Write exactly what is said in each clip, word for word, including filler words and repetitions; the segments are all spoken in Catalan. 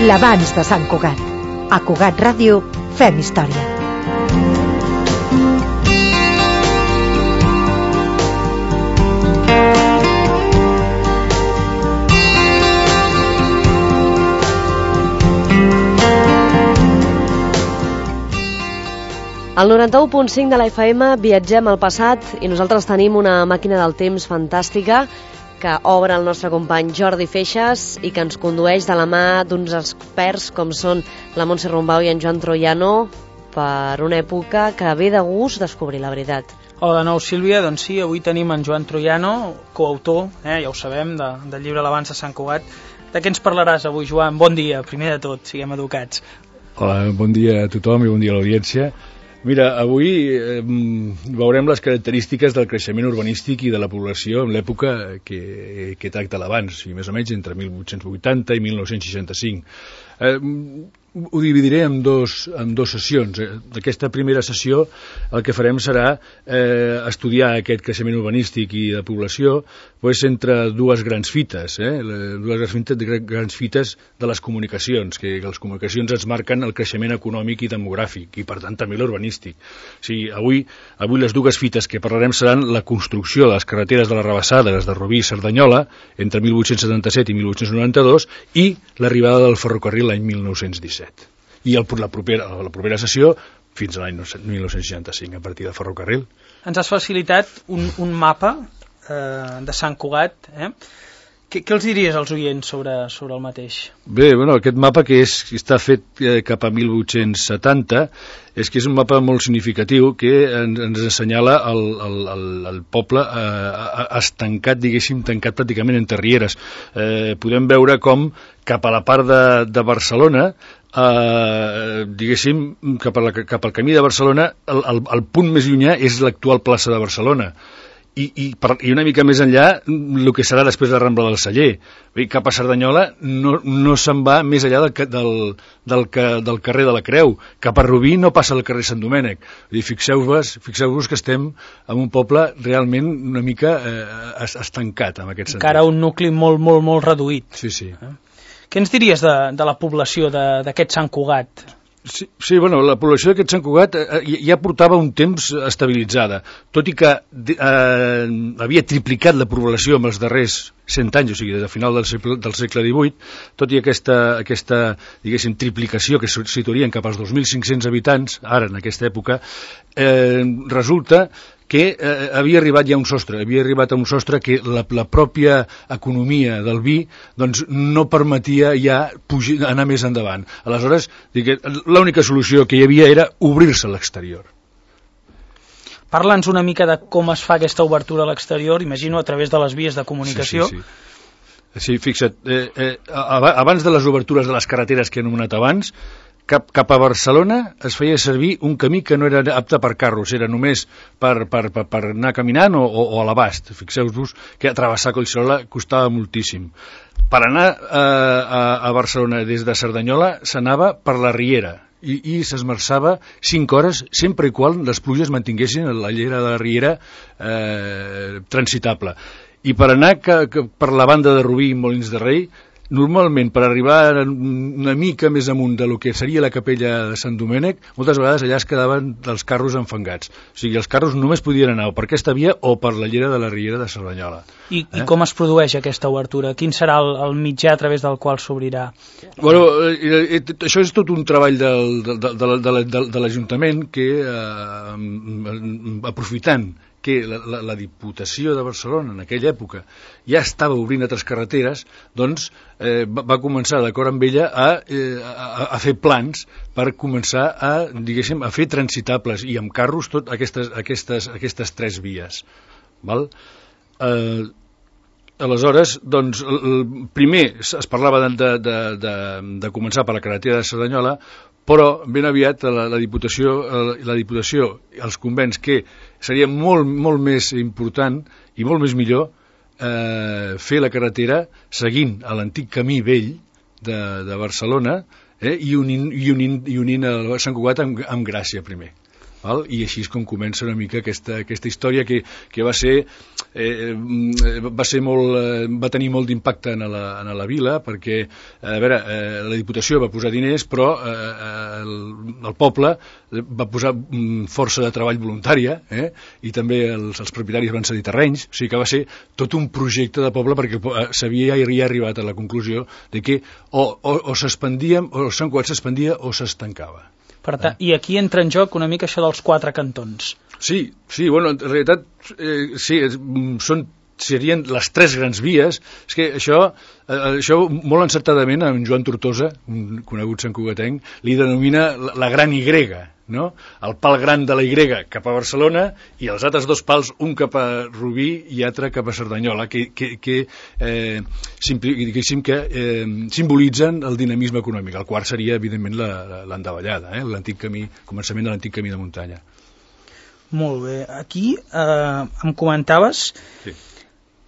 l'abans de Sant Cugat. A Cugat Ràdio fem història. Al noranta-u punt cinc de la F M viatgem al passat i nosaltres tenim una màquina del temps fantàstica que obre el nostre company Jordi Feixas i que ens condueix de la mà d'uns experts com són la Montse Rumbau i en Joan Troiano per una època que ve de gust descobrir la veritat. Hola de nou, Sílvia. Doncs sí, avui tenim en Joan Troiano, coautor, eh, ja ho sabem, de, del llibre L'abans de Sant Cugat. De què ens parlaràs avui, Joan? Bon dia, primer de tot, siguem educats. Hola, bon dia a tothom i bon dia a l'audiència. Mira, avui eh, veurem les característiques del creixement urbanístic i de la població en l'època que, que tracta l'abans, i més o menys entre mil vuit-cents vuitanta i mil nou-cents seixanta-cinc. Eh, ho dividiré en dos, en dos sessions. Aquesta primera sessió el que farem serà eh, estudiar aquest creixement urbanístic i de població pues, entre dues grans fites, eh? dues grans fites, grans fites de les comunicacions, que les comunicacions ens marquen el creixement econòmic i demogràfic, i per tant també l'urbanístic. O sigui, avui, avui les dues fites que parlarem seran la construcció de les carreteres de la Rabassada, les de Rubí i Cerdanyola, entre mil vuit-cents setanta-set i mil vuit-cents noranta-dos, i l'arribada del ferrocarril l'any mil nou-cents disset. I el, la, propera, la propera sessió fins a l'any mil nou-cents seixanta-cinc, a partir del ferrocarril. Ens has facilitat un, un mapa eh, de Sant Cugat. Eh? Què, què els diries als oients sobre, sobre el mateix? Bé, bueno, aquest mapa que, és, que està fet eh, cap a mil vuit-cents setanta és que és un mapa molt significatiu que ens, ens assenyala el, el, el, el poble eh, estancat, diguéssim, tancat pràcticament entre rieres. Eh, podem veure com cap a la part de, de Barcelona, eh, diguéssim, cap, a la, cap al camí de Barcelona, el, el, el punt més llunyà és l'actual plaça de Barcelona. I, i, per, i una mica més enllà el que serà després de la Rambla del Celler. Bé, cap a Cerdanyola no, no se'n va més enllà del, del, del, del carrer de la Creu. Cap a Rubí no passa al carrer Sant Domènec. Fixeu-vos fixeu-vos que estem en un poble realment una mica eh, estancat en aquest sentit. Encara un nucli molt, molt, molt reduït. Sí, sí. Eh? Què ens diries de, de la població d'aquest Sant Cugat? Sí, sí, bueno, la població d'aquest Sant Cugat eh, ja portava un temps estabilitzada, tot i que eh, havia triplicat la població en els darrers cent anys, o sigui, des del final del segle, del segle divuit, tot i aquesta, aquesta diguéssim, triplicació que situarien cap als dos mil cinc-cents habitants, ara en aquesta època, eh, resulta que eh, havia arribat ja a un sostre, havia arribat a un sostre que la, la pròpia economia del vi doncs, no permetia ja pujar, anar més endavant. Aleshores, l'única solució que hi havia era obrir-se a l'exterior. Parla'ns una mica de com es fa aquesta obertura a l'exterior, imagino a través de les vies de comunicació. Sí, sí, sí. Sí, fixa't, eh, eh, abans de les obertures de les carreteres que he anomenat abans, Cap, cap a Barcelona es feia servir un camí que no era apte per carros, era només per, per, per, per anar caminant o, o, o a l'abast. Fixeu-vos que travessar Collserola costava moltíssim. Per anar eh, a, a Barcelona des de Cerdanyola s'anava per la Riera i, i s'esmerçava cinc hores, sempre i quan les pluges mantinguessin la llera de la Riera eh, transitable. I per anar que, que per la banda de Rubí i Molins de Rei, normalment, per arribar una mica més amunt de lo que seria la capella de Sant Domènec, moltes vegades allà es quedaven els carros enfangats. O sigui, els carros només podien anar o per aquesta via o per la llera de la Riera de Cerdanyola. I, eh? I com es produeix aquesta obertura? Quin serà el, el mitjà a través del qual s'obrirà? Bueno, eh, eh, això és tot un treball del, de, de, de, de, de l'Ajuntament que, eh, aprofitant que la, la, la Diputació de Barcelona en aquella època ja estava obrint altres carreteres, doncs eh, va, va començar d'acord amb ella a, eh, a, a fer plans per començar a, diguéssim, a fer transitables i amb carros tot aquestes, aquestes, aquestes tres vies. Val? Eh, aleshores, doncs, el, primer es parlava de, de, de, de començar per la carretera de Cerdanyola, però ben aviat la, la Diputació, la Diputació, els convents, que seria molt, molt més important i molt més millor eh, fer la carretera seguint a l'antic camí vell de, de Barcelona eh, i unint, i unint, i unint el Sant Cugat amb, amb Gràcia primer. Val? I així és com comença una mica aquesta, aquesta història que, que va ser eh, va ser molt, eh, va tenir molt d'impacte en, la, en la vila, perquè a veure, eh, la Diputació va posar diners, però eh, el, el poble va posar força de treball voluntària, eh, i també els, els propietaris van cedir terrenys, o sigui que va ser tot un projecte de poble, perquè s'havia ja arribat a la conclusió de que o, o, o s'expandia, o Sant Cugat s'expandia o s'estancava. Per tant, eh? I aquí entra en joc una mica això dels quatre cantons. Sí, sí, bueno, en realitat eh, sí, són, serien les tres grans vies. És que això, eh, això molt encertadament en Joan Tortosa, un conegut santcugatenc, li denomina la, la gran Y, no? El pal gran de la Y cap a Barcelona i els altres dos pals, un cap a Rubí i altre cap a Cerdanyola, que, que, que, eh, que eh, simbolitzen el dinamisme econòmic. El quart seria, evidentment, l'endavallada, eh? L'antic camí, començament de l'antic camí de muntanya. Molt bé. Aquí eh, em comentaves sí.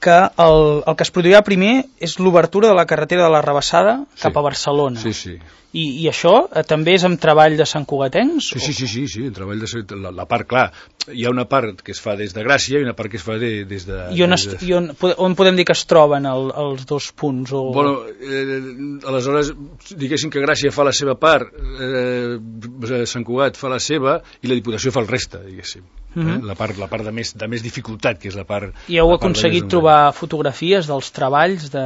que el, el que es produirà primer és l'obertura de la carretera de la Rabassada sí. cap a Barcelona. Sí, sí. I, i això eh, també és amb treball de santcugatencs? Sí, sí, sí, sí, sí, el treball de la, la part, clar, hi ha una part que es fa des de Gràcia i una part que es fa de, des de... I on, es, de... i on, on podem dir que es troben el, els dos punts? O... Bueno, eh, aleshores, diguéssim que Gràcia fa la seva part, eh, Sant Cugat fa la seva i la Diputació fa el reste, diguéssim. Mm-hmm. eh? La part, la part de, més, de més dificultat, que és la part... I heu aconseguit trobar fotografies dels treballs? De...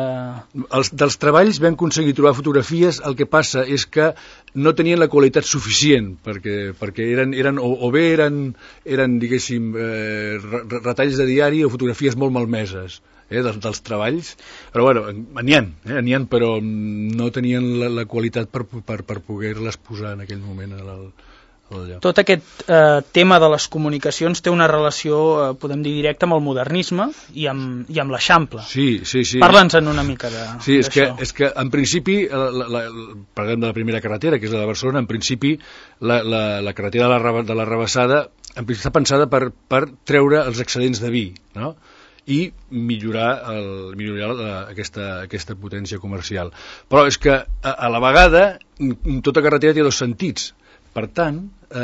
Els, dels treballs vam aconseguir trobar fotografies, el que passa és que no tenien la qualitat suficient, perquè, perquè eren, eren o, o bé eren, eren diguéssim, eh, retalls de diari o fotografies molt malmeses. Eh, dels, dels treballs, però bueno, n'hi ha, eh, n'hi ha, però no tenien la, la qualitat per, per, per poder-les posar en aquell moment al, al lloc. Tot aquest eh, tema de les comunicacions té una relació, eh, podem dir, directa amb el modernisme i amb, i amb l'Eixample. Sí, sí, sí. Parla'ns-en una mica de, sí, és d'això. Que, és que en principi, la, la, la, parlem de la primera carretera, que és la de Barcelona, en principi la, la, la carretera de la, de la Rabassada en principi està pensada per, per treure els excedents de vi, no?, i millorar, el, millorar la, aquesta, aquesta potència comercial. Però és que, a, a la vegada, tota carretera té dos sentits. Per tant, eh,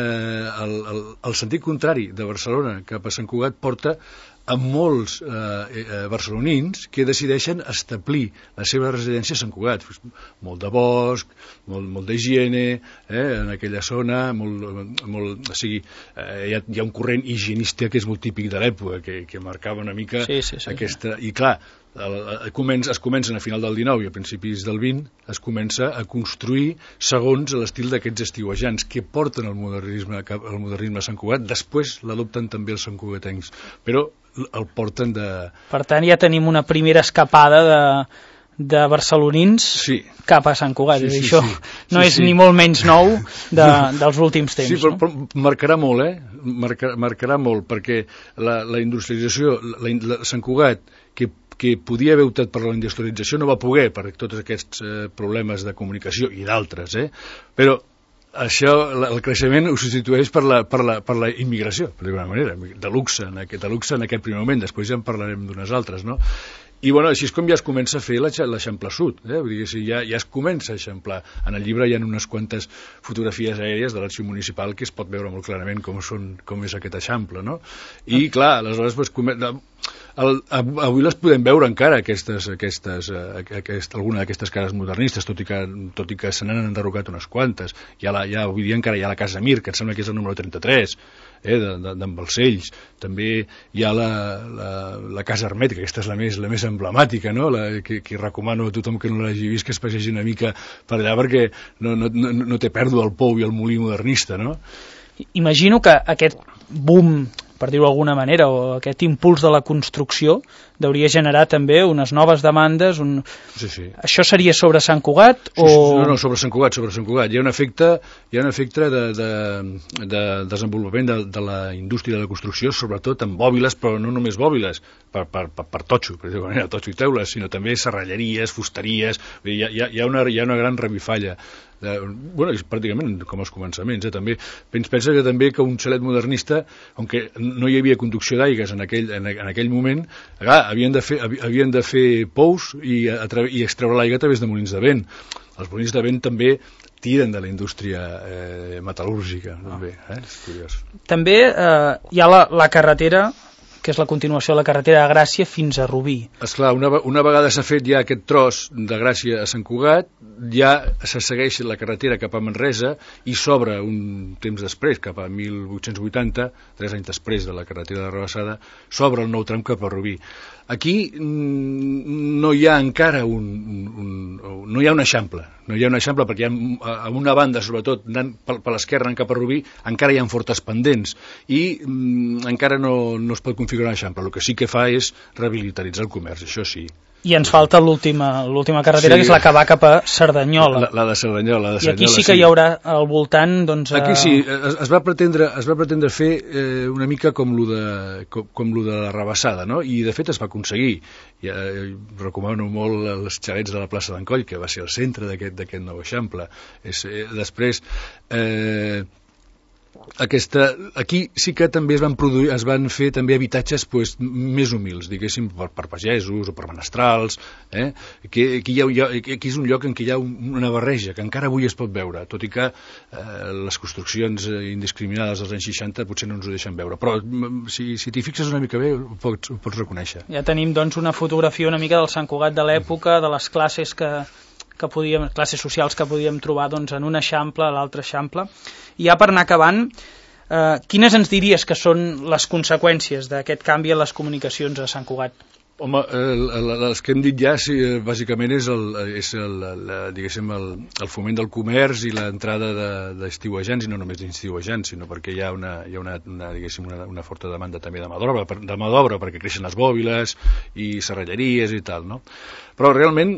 el, el, el sentit contrari de Barcelona cap a Sant Cugat porta a molts eh, eh, barcelonins que decideixen establir la seva residència a Sant Cugat. Molt de bosc, molt, molt d'higiene, eh, en aquella zona, molt, molt, o sigui, eh, hi, ha, hi ha un corrent higienista que és molt típic de l'època, que, que marcava una mica sí, sí, sí, aquesta... I clar, el, el, comença, es comencen a final del dinou i a principis del vint, es comença a construir segons l'estil d'aquests estiuejants que porten el modernisme, el modernisme a Sant Cugat, després l'adopten també els santcugatencs, però el porten de... Per tant, ja tenim una primera escapada de, de barcelonins sí. cap a Sant Cugat. Sí, sí, això sí. no sí, és sí. ni molt menys nou de, dels últims temps. Sí, però, no? però marcarà molt, eh? Marcar, marcarà molt, perquè la, la industrialització, la, la, Sant Cugat, que que podia haver optat per la industrialització no va poder per tots aquests eh, problemes de comunicació i d'altres, eh? Però això, el creixement ho substitueix per la, per la, per la immigració, per d'alguna manera, de luxe, en aquest, de luxe en aquest primer moment, després ja en parlarem d'unes altres, no? I bueno, així és com ja es comença a fer l'Eixample Sud, eh? Vull dir, ja, ja es comença a eixamplar. En el llibre hi ha unes quantes fotografies aèries de l'arxiu municipal que es pot veure molt clarament com, són, com és aquest Eixample, no? I clar, aleshores pues, el, avui les podem veure encara aquestes, aquestes, aquest, alguna d'aquestes cases modernistes, tot i que, tot i que se n'han enderrocat unes quantes. Hi ha la, hi ha, avui dia encara hi ha la Casa Mir, que em sembla que és el número trenta-tres, eh, d'en Balcells. També hi ha la, la, la Casa Hermètica, aquesta és la més, la més emblemàtica, no? La, que, que recomano a tothom que no l'hagi vist que es passegi una mica per allà perquè no, no, no, no té pèrdua el pou i el molí modernista, no? Imagino que aquest boom, per dir-ho d'alguna manera, o aquest impuls de la construcció hauria generar també unes noves demandes. Un... Sí, sí. Això seria sobre Sant Cugat? O... Sí, sí, no, no, sobre Sant Cugat, sobre Sant Cugat. Hi ha un efecte, hi ha un efecte de, de, de desenvolupament de, de la indústria de la construcció, sobretot en bòbiles, però no només bòbiles, per, per, per, per totxo, per dir-ho manera, totxo i teules, sinó també serralleries, fusteries. Hi ha, hi ha, hi ha, una, hi ha una gran revifalla. De, bueno, és pràcticament com els començaments, eh, també. Pensa que també que un xalet modernista, on no hi havia conducció d'aigues en aquell, en, en aquell moment, clar, havien de fer, havien de fer pous i, a, i extreure l'aigua a través de molins de vent. Els molins de vent també tiren de la indústria eh, metal·lúrgica. També, eh? És curiós. També eh, hi ha la, la carretera que és la continuació de la carretera de Gràcia fins a Rubí. Esclar, una, una vegada s'ha fet ja aquest tros de Gràcia a Sant Cugat, ja se segueix la carretera cap a Manresa i s'obre un temps després, cap a mil vuit-cents vuitanta, tres anys després de la carretera de Rabassada, s'obre el nou tram cap a Rubí. Aquí no hi ha encara un, un, un no hi ha un eixample, no hi ha un eixample perquè hi ha, a una banda, sobretot, anant per, per l'esquerra, anant cap a Rubí, encara hi ha fortes pendents i mm, encara no, no es pot configurar un eixample. El que sí que fa és rehabilitaritzar el comerç, això sí. I ens falta l'última l'última carretera, sí, que és la que va cap a Cerdanyola. La, la de Cerdanyola. La de I aquí Cerdanyola, sí que sí. Hi haurà al voltant... Doncs, aquí sí, es, es, va pretendre, es va pretendre fer eh, una mica com lo de, com, com lo de la Rabassada, no? I de fet es va aconseguir. Ja, eh, recomano molt els xalets de la plaça d'en Coll, que va ser el centre d'aquest nou eixample. És, eh, després... Eh, Aquesta, aquí sí que també es van produir, es van fer també habitatges pues, més humils, diguéssim, per, per pagesos o per menestrals, eh? que, aquí, hi ha, aquí és un lloc en què hi ha una barreja que encara avui es pot veure, tot i que eh, les construccions indiscriminades dels anys seixanta potser no ens ho deixen veure, però si, si t'hi fixes una mica bé ho pots, ho pots reconèixer. Ja tenim doncs una fotografia una mica del Sant Cugat de l'època, de les classes que que podíem, classes socials que podíem trobar doncs, en un eixample, a l'altre eixample. I ja per anar acabant, eh, quines ens diries que són les conseqüències d'aquest canvi en les comunicacions a Sant Cugat? Home, els que hem dit ja, sí, bàsicament és, el, és el, el, diguéssim, el, el foment del comerç i l'entrada d'estiuejants, i no només d'estiuejants, sinó perquè hi ha una, hi ha una, una, diguéssim, una, una forta demanda també de mà d'obra, de mà d'obra perquè creixen les bòbiles i serralleries i tal, no? Però realment,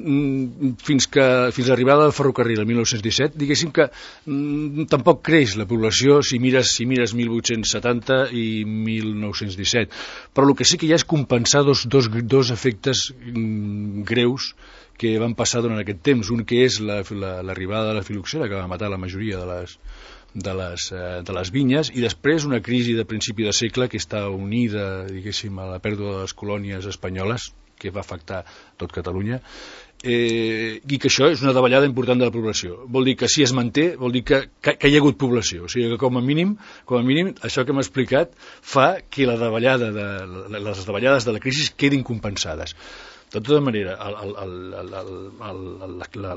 fins que fins a l'arribada del ferrocarril el mil nou-cents disset, diguéssim que mm, tampoc creix la població si mires, si mires mil vuit-cents setanta i mil nou-cents disset. Però el que sí que hi ha és compensar dos, dos, dos efectes mm, greus que van passar durant aquest temps. Un que és l'arribada la, la, de la filoxera, que va matar la majoria de les, de les, eh, de les vinyes, i després una crisi de principi de segle que està unida, diguéssim, a la pèrdua de les colònies espanyoles, que va afectar tot Catalunya, eh, i que això és una davallada important de la població. Vol dir que si es manté, vol dir que, que, que hi ha hagut població. O sigui que com a mínim, com a mínim això que hem explicat fa que la davallada de, les davallades de la crisi quedin compensades. De tota manera,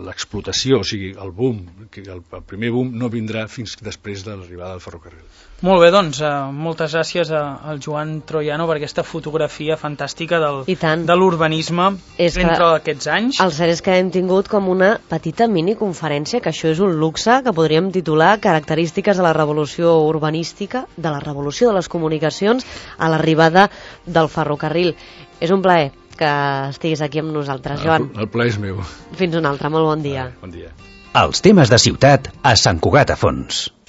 l'explotació, o sigui, el boom, el, el primer boom no vindrà fins després de l'arribada del ferrocarril. Molt bé, doncs, eh, moltes gràcies al Joan Troiano per aquesta fotografia fantàstica del, de l'urbanisme entre aquests anys. El cert és que hem tingut com una petita miniconferència, que això és un luxe, que podríem titular Característiques de la revolució urbanística, de la revolució de les comunicacions a l'arribada del ferrocarril. És un plaer que estiguis aquí amb nosaltres, Joan. El, el plaer és meu. Fins un altre, molt bon dia. Bon dia. Els temes de ciutat a Sant Cugat a Fons.